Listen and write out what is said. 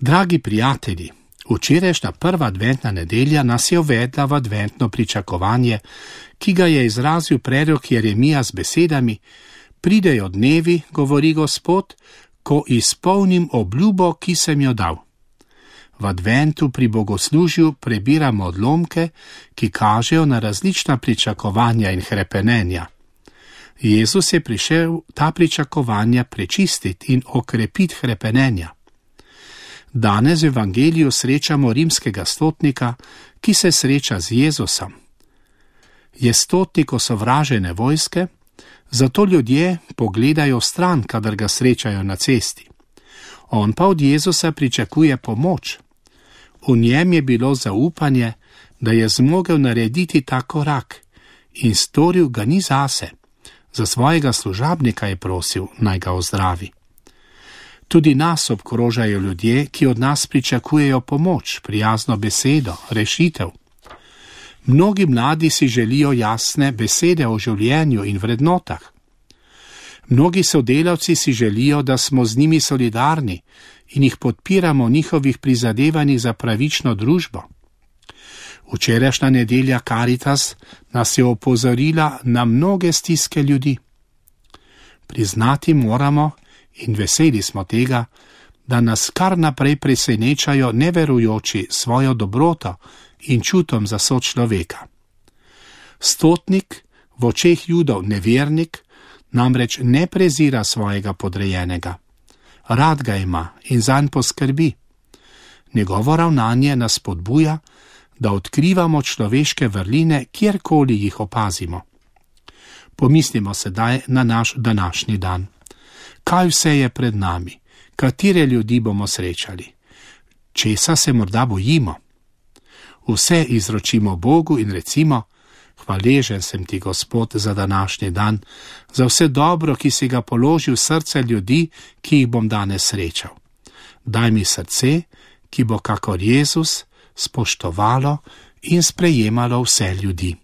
Dragi prijatelji, včerajšnja prva adventna nedelja nas je uvedla v adventno pričakovanje, ki ga je izrazil prerok Jeremija z besedami: pridejo dnevi, govori Gospod, ko izpolnim obljubo, ki sem jo dal. V adventu pri bogoslužju prebiramo odlomke, ki kažejo na različna pričakovanja in hrepenenja. Jezus je prišel ta pričakovanja prečistiti in okrepiti hrepenenja. Danes v evangeliju srečamo rimskega stotnika, ki se sreča z Jezusom. Je stotnik osovražene vojske, zato ljudje pogledajo stran, kadar ga srečajo na cesti. On pa od Jezusa pričakuje pomoč. V njem je bilo zaupanje, da je zmogel narediti ta korak, in storil ga ni zase. Za svojega služabnika je prosil, naj ga ozdravi. Tudi nas obkrožajo ljudje, ki od nas pričakujejo pomoč, prijazno besedo, rešitev. Mnogi mladi si želijo jasne besede o življenju in vrednotah. Mnogi sodelavci si želijo, da smo z njimi solidarni in jih podpiramo v njihovih prizadevanjih za pravično družbo. Včerajšnja nedelja Karitas nas je opozorila na mnoge stiske ljudi. Priznati moramo, in veseli smo tega, da nas kar naprej presenečajo neverujoči svojo dobroto in čutom za sočloveka. Stotnik, v očeh Judov nevernik, namreč ne prezira svojega podrejenega. Rad ga ima in zanj poskrbi. Njegovo ravnanje nas spodbuja, da odkrivamo človeške vrline, kjerkoli jih opazimo. Pomislimo sedaj na naš današnji dan. Kaj vse je pred nami? Katere ljudi bomo srečali? Česa se morda bojimo? Vse izročimo Bogu in recimo: hvaležen sem ti, Gospod, za današnji dan, za vse dobro, ki si ga položil v srce ljudi, ki jih bom danes srečal. Daj mi srce, ki bo kakor Jezus spoštovalo in sprejemalo vse ljudi.